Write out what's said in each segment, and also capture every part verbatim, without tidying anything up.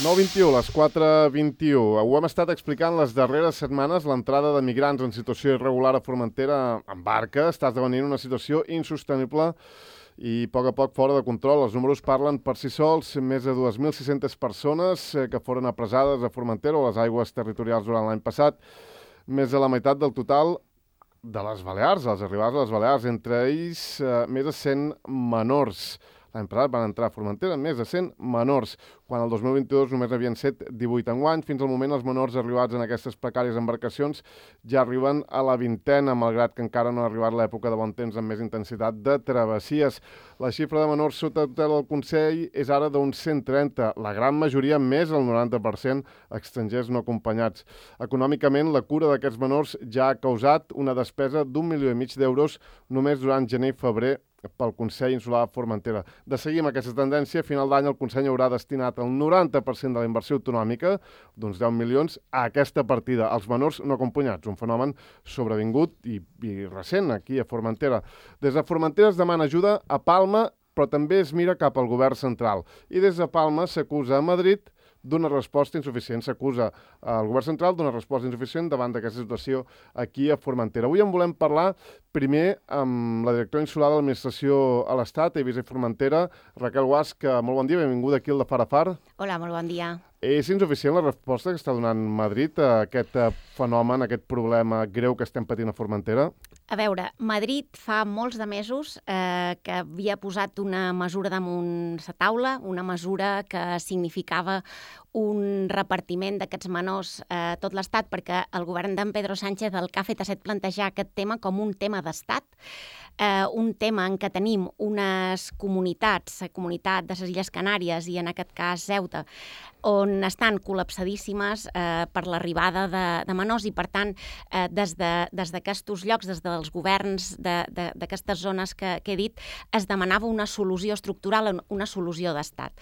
nou vint-i-u, les quatre vint-i-u. Ho hem estat explicant les darreres setmanes. L'entrada de migrants en situació irregular a Formentera en barca està esdevenint una situació insostenible i a poc a poc fora de control. Els números parlen per si sols. Més de dues mil sis-centes persones que foren apresades a Formentera o a les aigües territorials durant l'any passat. Més de la meitat del total de les Balears, els arribats a les Balears, entre ells eh, més de cent menors. L'any passat van entrar a Formentera més de cent menors, quan el dos mil vint-i-dos només n'havien set divuit enguany. Fins al moment, els menors arribats en aquestes precàries embarcacions ja arriben a la vintena, malgrat que encara no ha arribat l'època de bon temps amb més intensitat de travessies. La xifra de menors sota tutela del Consell és ara d'uns cent trenta, la gran majoria, més del noranta per cent, estrangers no acompanyats. Econòmicament, la cura d'aquests menors ja ha causat una despesa d'un milió i mig d'euros només durant gener i febrer pel Consell Insular de Formentera. De seguir amb aquesta tendència, a final d'any el Consell haurà destinat el noranta per cent de la inversió autonòmica, d'uns deu milions, a aquesta partida, als menors no acompanyats, un fenomen sobrevingut i, i recent aquí a Formentera. Des de Formentera es demana ajuda a Palma, però també es mira cap al govern central. I des de Palma s'acusa a Madrid d'una resposta insuficient. S'acusa al govern central d'una resposta insuficient davant d'aquesta situació aquí a Formentera. Avui en volem parlar primer amb la directora insular de l'Administració a l'Estat, Eivissa i Formentera, Raquel Guasch. Molt bon dia, benvinguda aquí al de Far a Far. Hola, molt bon dia. És insuficient la resposta que està donant Madrid a aquest fenomen, a aquest problema greu que estem patint a Formentera? A veure, Madrid fa molts de mesos eh, que havia posat una mesura damunt la taula, una mesura que significava un repartiment d'aquests menors a eh, tot l'Estat, perquè el govern d'en Pedro Sánchez el que ha fet ha estat plantejar aquest tema com un tema d'Estat, eh, un tema en què tenim unes comunitats, la comunitat de les Illes Canàries i en aquest cas Ceuta, on estan col·lapsadíssimes eh, per l'arribada de, de menors i, per tant, eh, des d'aquests de, llocs, des dels governs d'aquestes zones que, que he dit, es demanava una solució estructural, una solució d'Estat.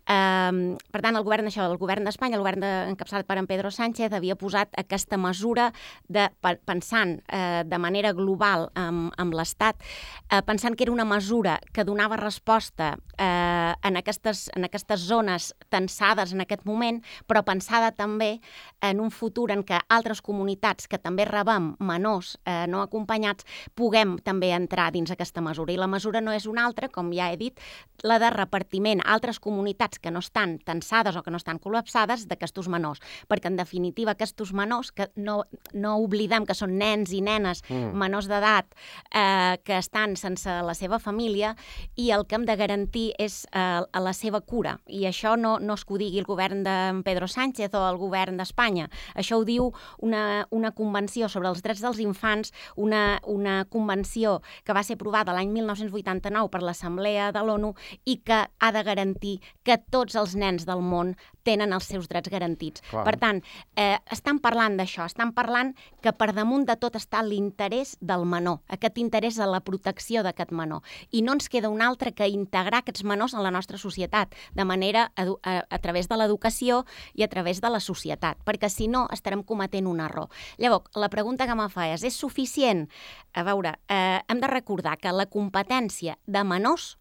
Um, per tant, el govern, això, el govern d'Espanya, el govern de, encapçalat per en Pedro Sánchez, havia posat aquesta mesura de, pensant eh, de manera global amb, amb l'Estat, eh, pensant que era una mesura que donava resposta eh, en, aquestes, en aquestes zones tensades en aquest moment, però pensada també en un futur en què altres comunitats que també rebem menors eh, no acompanyats puguem també entrar dins aquesta mesura. I la mesura no és una altra, com ja he dit, la de repartiment a altres comunitats que no estan tensades o que no estan col·lapsades d'aquestos menors, perquè en definitiva aquests menors, que no, no oblidem que són nens i nenes mm. menors d'edat eh, que estan sense la seva família, i el que hem de garantir és eh, la seva cura, i això no, no és que ho digui el govern de Pedro Sánchez o el govern d'Espanya, això ho diu una, una convenció sobre els drets dels infants, una, una convenció que va ser aprovada l'any mil nou-cents vuitanta-nou per l'Assemblea de l'ONU i que ha de garantir que tots els nens del món tenen els seus drets garantits. Clar. Per tant, eh, estan parlant d'això, estan parlant que per damunt de tot està l'interès del menor, aquest interès a la protecció d'aquest menor. I no ens queda un altre que integrar aquests menors en la nostra societat, de manera a, a, a través de l'educació i a través de la societat, perquè si no estarem cometent un error. Llavors, la pregunta que me fa és, és suficient? A veure, eh, hem de recordar que la competència de menors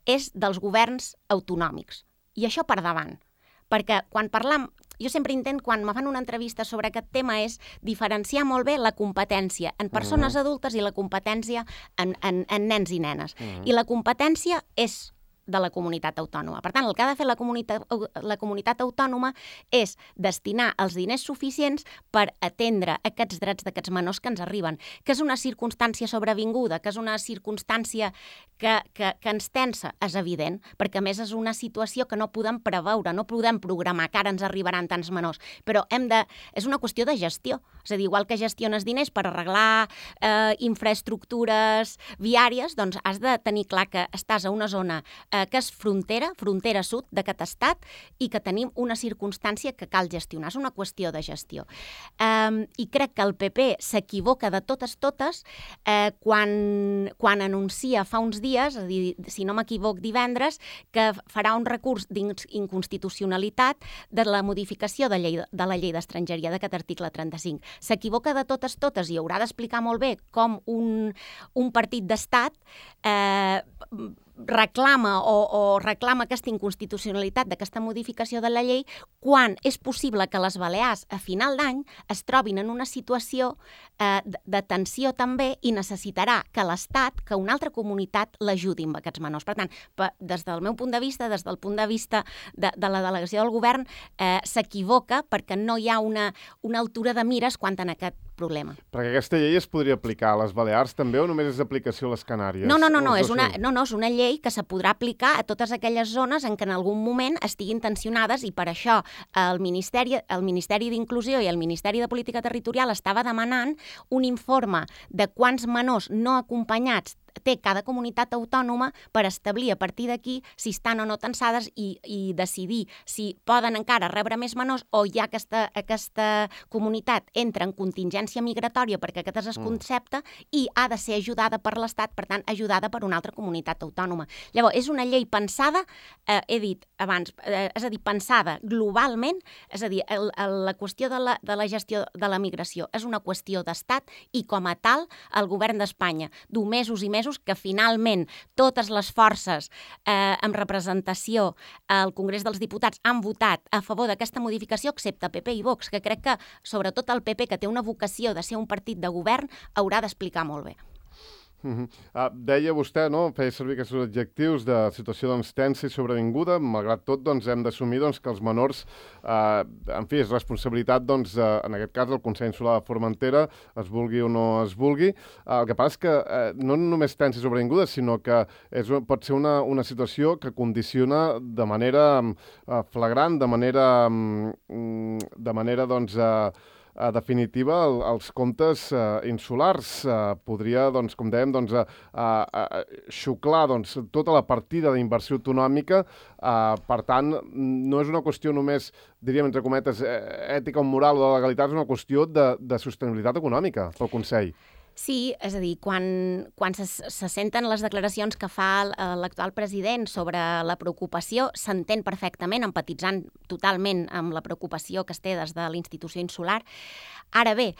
és dels governs autonòmics. I això per davant, perquè quan parlam, jo sempre intent, quan me fan una entrevista sobre aquest tema, és diferenciar molt bé la competència en persones uh-huh. adultes i la competència en, en, en nens i nenes. Uh-huh. I la competència és de la comunitat autònoma. Per tant, el que ha de fer la comunitat, la comunitat autònoma és destinar els diners suficients per atendre aquests drets d'aquests menors que ens arriben, que és una circumstància sobrevinguda, que és una circumstància que, que, que ens tensa, és evident, perquè a més és una situació que no podem preveure, no podem programar que ara ens arribaran tants menors, però hem de, és una qüestió de gestió. És a dir, igual que gestiones diners per arreglar eh, infraestructures viàries, doncs has de tenir clar que estàs a una zona eh, que és frontera, frontera sud d'aquest estat, i que tenim una circumstància que cal gestionar. És una qüestió de gestió. Eh, I crec que el P P s'equivoca de totes totes eh, quan, quan anuncia fa uns dies, és a dir, si no m'equivoc divendres, que farà un recurs d'inconstitucionalitat de la modificació de, llei, de la llei d'estrangeria d'aquest article trenta-cinc. S'equivoca de totes totes i haurà d'explicar molt bé com un, un partit d'estat eh, reclama o, o reclama aquesta inconstitucionalitat d'aquesta modificació de la llei quan és possible que les Balears a final d'any es trobin en una situació eh, de tensió també i necessitarà que l'Estat, que una altra comunitat l'ajudi amb aquests menors. Per tant, des del meu punt de vista, des del punt de vista de, de la delegació del govern, eh, s'equivoca perquè no hi ha una, una altura de mires quant a aquest problema. Perquè aquesta llei es podria aplicar a les Balears també o només és d'aplicació a les Canàries? No, no, no, no, és una, no, no, és una llei que se podrà aplicar a totes aquelles zones en què en algun moment estiguin tensionades i per això el Ministeri, el Ministeri d'Inclusió i el Ministeri de Política Territorial estava demanant un informe de quants menors no acompanyats té cada comunitat autònoma per establir a partir d'aquí si estan o no tensades i, i decidir si poden encara rebre més menors o ja aquesta, aquesta comunitat entra en contingència migratòria perquè aquest és el concepte i ha de ser ajudada per l'Estat, per tant, ajudada per una altra comunitat autònoma. Llavors, és una llei pensada, eh, he dit abans, eh, és a dir, pensada globalment, és a dir, el, el, la qüestió de la, de la gestió de la migració és una qüestió d'Estat i com a tal el govern d'Espanya du mesos i mesos que finalment totes les forces eh, amb representació al Congrés dels Diputats han votat a favor d'aquesta modificació, excepte P P i Vox, que crec que sobretot el P P, que té una vocació de ser un partit de govern, haurà d'explicar molt bé. Uh-huh. Uh, deia vostè, no?, feia servir aquests adjectius de situació doncs, tensa i sobrevinguda. Malgrat tot, doncs, hem d'assumir doncs, que els menors, uh, en fi, és responsabilitat, doncs, uh, en aquest cas, del Consell Insular de Formentera, es vulgui o no es vulgui. Uh, el que passa és que uh, no només tensa i sobrevinguda, sinó que és, pot ser una, una situació que condiciona de manera uh, flagrant, de manera, um, de manera, doncs, uh, Uh, definitiva, el, els comptes uh, insulars. Uh, podria, doncs, com dèiem, doncs, uh, uh, xuclar doncs, tota la partida d'inversió autonòmica. Uh, per tant, no és una qüestió només, diríem, entre cometes, ètica o moral o de legalitat, és una qüestió de, de sostenibilitat econòmica pel Consell. Sí, és a dir, quan, quan se, se senten les declaracions que fa l'actual president sobre la preocupació, s'entén perfectament, empatitzant totalment amb la preocupació que es té des de l'institució insular. Ara bé,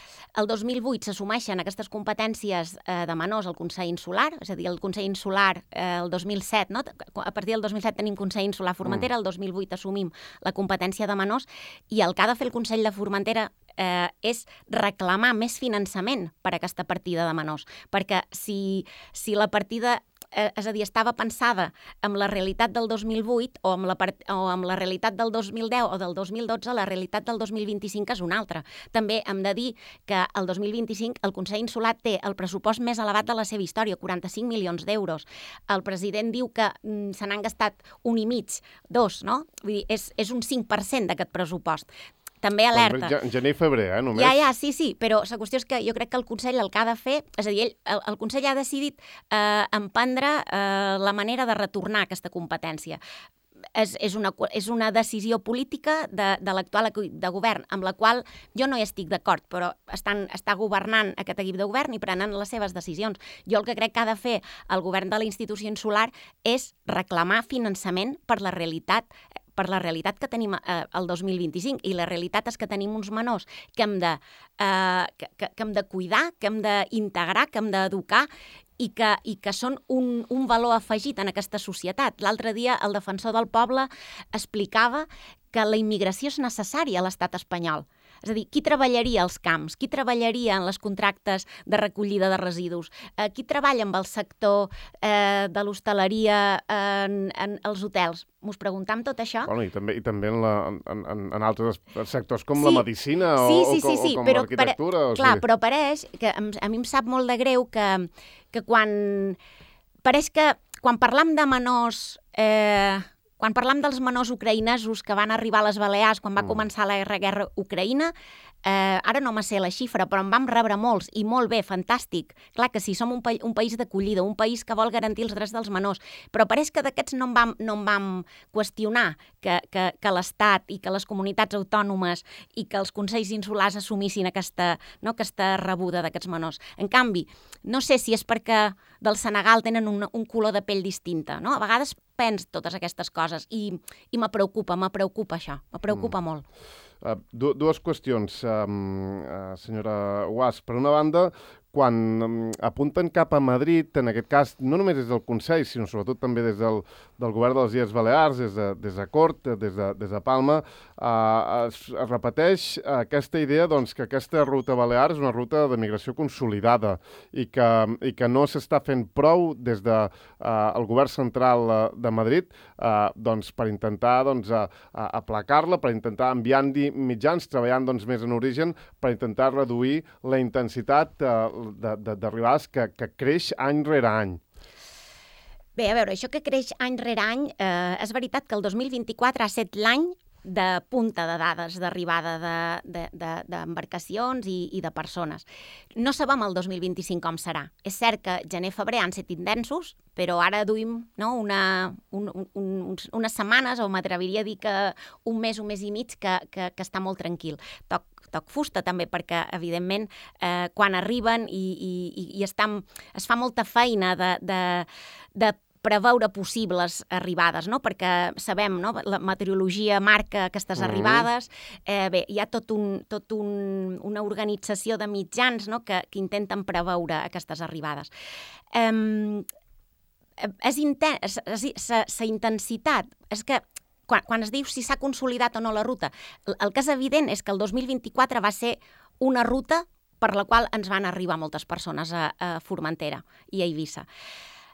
el dos mil vuit s'assumeixen aquestes competències eh, de menors al Consell Insular, és a dir, el Consell Insular eh, el dos mil set, no? A partir del dos mil set tenim Consell Insular Formentera, el dos mil vuit assumim la competència de menors i el que ha de fer el Consell de Formentera eh, és reclamar més finançament per a aquesta partida de menors, perquè si, si la partida Eh, és a dir, estava pensada amb la realitat del dos mil vuit o amb la, part... o amb la realitat del dos mil deu o del dos mil dotze, la realitat del dos mil vint-i-cinc és una altra. També hem de dir que el dos mil vint-i-cinc el Consell Insular té el pressupost més elevat de la seva història, quaranta-cinc milions d'euros. El president diu que mm, se n'han gastat un i mig, dos, no? Vull dir, és, és un cinc per cent d'aquest pressupost. També alerta. En gener i febrer, eh, només. Ja, ja, sí, sí, però la qüestió és que jo crec que el Consell el que ha de fer, és a dir, ell, el, el Consell ha decidit eh, emprendre eh, la manera de retornar aquesta competència. És, és, una, és una decisió política de, de l'actual equip de govern, amb la qual jo no hi estic d'acord, però estan, està governant aquest equip de govern i prenen les seves decisions. Jo el que crec que ha de fer el govern de la institució insular és reclamar finançament per la realitat per la realitat que tenim eh, el dos mil vint-i-cinc, i la realitat és que tenim uns menors que hem de, eh, que, que, que hem de cuidar, que hem d'integrar, que hem d'educar, i que, i que són un, un valor afegit en aquesta societat. L'altre dia el defensor del poble explicava que la immigració és necessària a l'estat espanyol. És a dir, qui treballaria als camps? Qui treballaria en les contractes de recollida de residus? Eh, qui treballa amb el sector eh, de l'hostaleria en, en els hotels? M'ho preguntam tot això? Bueno, i també, i també en, la, en, en, en altres sectors com sí, la medicina o, sí, sí, o, sí, sí, o com l'arquitectura. Pare... Clar, sí. Però pareix que a mi em sap molt de greu que, que quan... Pareix que quan parlam de menors... Eh, Quan parlam dels menors ucraïnesos que van arribar a les Balears quan va mm. començar la guerra ucraïna, eh, ara no me sé la xifra, però en vam rebre molts, i molt bé, fantàstic. Clar que sí, som un, pa un país d'acollida, un país que vol garantir els drets dels menors, però pareix que d'aquests no en vam, no en vam qüestionar que, que, que l'Estat i que les comunitats autònomes i que els consells insulars assumissin aquesta, no, aquesta rebuda d'aquests menors. En canvi, no sé si és perquè del Senegal tenen un, un color de pell distinta, no? A vegades pens totes aquestes coses i, i me preocupa, me preocupa això, me preocupa mm. molt. Uh, du dues qüestions, um, uh, senyora Guas. Per una banda, quan apunten cap a Madrid, en aquest cas, no només des del Consell, sinó sobretot també des del, del govern de les Illes Balears, des de, des de Cort, des de, des de Palma, eh, es, es repeteix aquesta idea doncs, que aquesta ruta balear és una ruta de migració consolidada i que, i que no s'està fent prou des del de, eh, govern central de Madrid eh, doncs, per intentar doncs, a, a aplacar-la, per intentar enviar-hi mitjans, treballant doncs, més en origen, per intentar reduir la intensitat eh, d'arribades que, que creix any rere any. Bé, a veure, això que creix any rere any, eh, és veritat que el dos mil vint-i-quatre ha estat l'any de punta de dades d'arribada d'embarcacions de, de, de, i, i de persones. No sabem el dos mil vint-i-cinc com serà. És cert que gener-febrer han estat intensos, però ara duim no, una, un, un, unes setmanes, o m'atreviria a dir que un mes, un mes i mig, que, que, que està molt tranquil. Toc toc fusta també, perquè, evidentment, eh, quan arriben i, i, i estan, es fa molta feina de, de, de preveure possibles arribades, no? Perquè sabem, no? La meteorologia marca aquestes mm. arribades, eh, bé, hi ha tot un, tot un, una organització de mitjans, no? que, que intenten preveure aquestes arribades. Eh, és intens, la intensitat, és que Quan, quan es diu si s'ha consolidat o no la ruta, el, el que és evident és que el dos mil vint-i-quatre va ser una ruta per la qual ens van arribar moltes persones a, a Formentera i a Eivissa.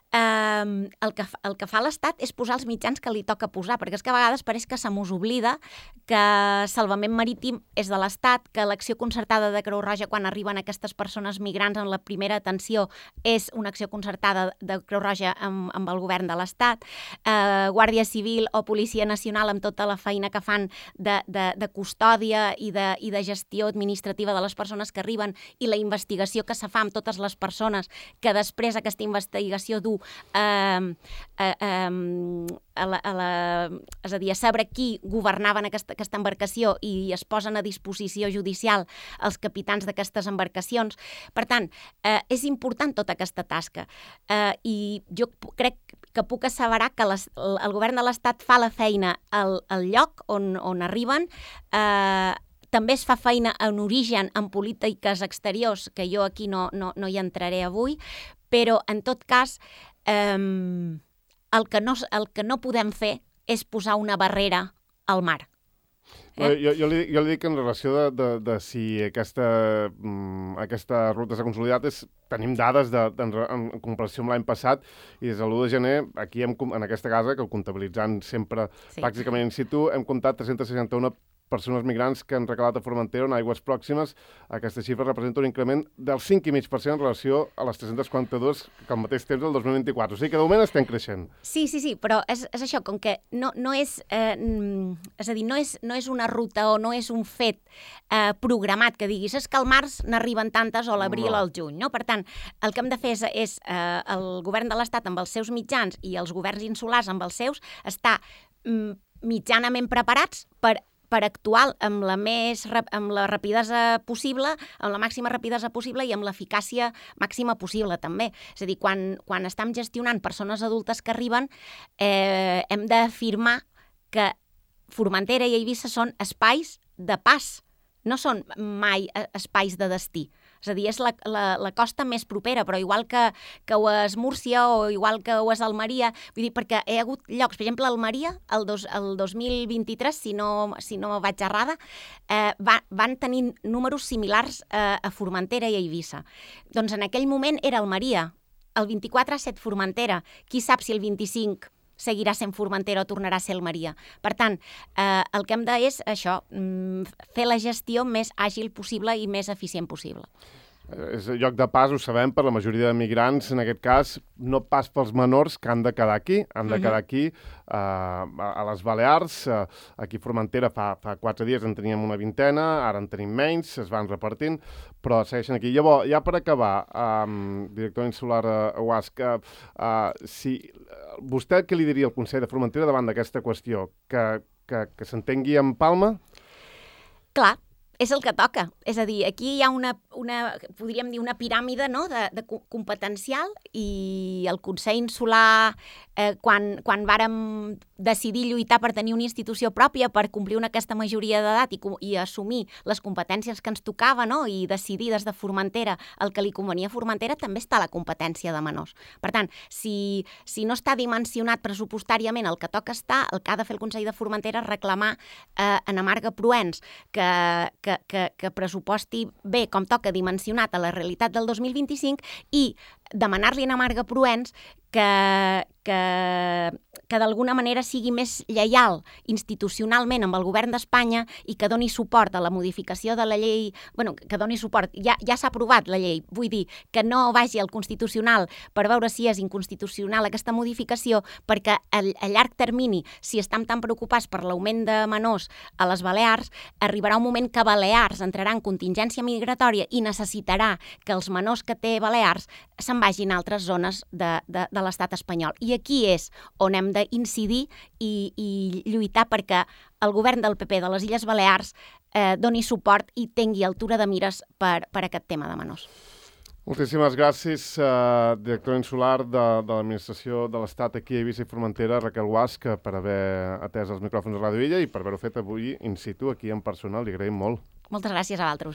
Um, el, que, el que fa l'Estat és posar els mitjans que li toca posar, perquè és que a vegades pareix que se mos oblida que salvament marítim és de l'Estat, que l'acció concertada de Creu Roja quan arriben aquestes persones migrants en la primera atenció és una acció concertada de Creu Roja amb, amb el govern de l'Estat, uh, Guàrdia Civil o Policia Nacional amb tota la feina que fan de, de, de custòdia i de, i de gestió administrativa de les persones que arriben i la investigació que se fa amb totes les persones que després aquesta investigació du Uh, uh, um, a la, a la, és a dir, a saber qui governava aquesta, aquesta embarcació i es posen a disposició judicial els capitans d'aquestes embarcacions. Per tant, uh, és important tota aquesta tasca uh, i jo crec que puc asseverar que les, el, el govern de l'Estat fa la feina al, al lloc on, on arriben. Uh, També es fa feina en origen en polítiques exteriors, que jo aquí no, no, no hi entraré avui, però en tot cas eh, el, que no, el que no podem fer és posar una barrera al mar. Eh? Jo, jo, li, jo li dic en relació de, de, de si aquesta, aquesta ruta s'ha consolidat, és, tenim dades de, de, en, en comparació amb l'any passat i des de l'u de gener, aquí hem, en aquesta casa, que comptabilitzant sempre sí. pràcticament in situ, hem comptat tres-cents seixanta-u persones migrants que han recalat a Formentera en aigües pròximes. Aquesta xifra representa un increment del cinc coma cinc per cent en relació a les tres-cents quaranta-dues que al mateix temps del dos mil vint-i-quatre. O sigui que de moment estem creixent. Sí, sí, sí, però és, és això, com que no, no és, eh, és a dir, no és, no és una ruta o no és un fet eh, programat que diguis és que al març n'arriben tantes o a l'abril o al juny, no? Per tant, el que hem de fer és, és eh, el govern de l'Estat amb els seus mitjans i els governs insulars amb els seus estar mm, mitjanament preparats per per actuar amb la, més, amb la rapidesa possible, amb la màxima rapidesa possible i amb l'eficàcia màxima possible, també. És a dir, quan, quan estem gestionant persones adultes que arriben, eh, hem d'afirmar que Formentera i Eivissa són espais de pas, no són mai espais de destí. És a dir, és la, la, la costa més propera, però igual que, que ho és Múrcia o igual que ho és Almeria, vull dir, perquè hi ha hagut llocs, per exemple, Almeria, el, dos, el dos mil vint-i-tres, si no, si no vaig errada, eh, va, van tenir números similars eh, a Formentera i a Eivissa. Doncs en aquell moment era Almeria, el vint-i-quatre ha estat Formentera, qui sap si el vint-i-cinc seguirà sent Formentera o tornarà a ser Almeria. Per tant, eh, el que hem de és això, fer la gestió més àgil possible i més eficient possible. És lloc de pas, ho sabem, per la majoria de migrants, en aquest cas, no pas pels menors que han de quedar aquí, han de quedar aquí uh, a les Balears. Uh, aquí a Formentera fa, fa quatre dies en teníem una vintena, ara en tenim menys, es van repartint, però segueixen aquí. Llavors, ja per acabar, um, director insular uh, Guasc, uh, uh, si, uh, vostè què li diria al Consell de Formentera davant d'aquesta qüestió? Que, que, que s'entengui en Palma? Clar. És el que toca. És a dir, aquí hi ha una, una podríem dir, una piràmide, no?, de, de competencial i el Consell Insular eh, quan, quan vàrem decidir lluitar per tenir una institució pròpia, per complir una aquesta majoria d'edat i, i assumir les competències que ens tocava, no? I decidir des de Formentera el que li convenia a Formentera, també està la competència de menors. Per tant, si, si no està dimensionat pressupostàriament el que toca estar, el que ha de fer el Consell de Formentera és reclamar eh, en Amarga Proens que, que, que, que pressuposti bé com toca dimensionat a la realitat del dos mil vint-i-cinc i demanar-li a Amarga Proens que, que, que d'alguna manera sigui més lleial institucionalment amb el govern d'Espanya i que doni suport a la modificació de la llei, bueno, que doni suport, ja, ja s'ha aprovat la llei, vull dir, que no vagi al Constitucional per veure si és inconstitucional aquesta modificació, perquè a, a llarg termini, si estem tan preocupats per l'augment de menors a les Balears, arribarà un moment que Balears entrarà en contingència migratòria i necessitarà que els menors que té Balears se'n vagin a altres zones de, de, de l'estat espanyol. I aquí és on hem d'incidir i, i lluitar perquè el govern del P P de les Illes Balears eh, doni suport i tingui altura de mires per, per aquest tema de menors. Moltíssimes gràcies, uh, directora insular de, de l'Administració de l'Estat aquí a Eivissa i Formentera, Raquel Guasch, per haver atès els micròfons de Ràdio Illa i per haver-ho fet avui in situ, aquí en persona. Li agraïm molt. Moltes gràcies a vosaltres.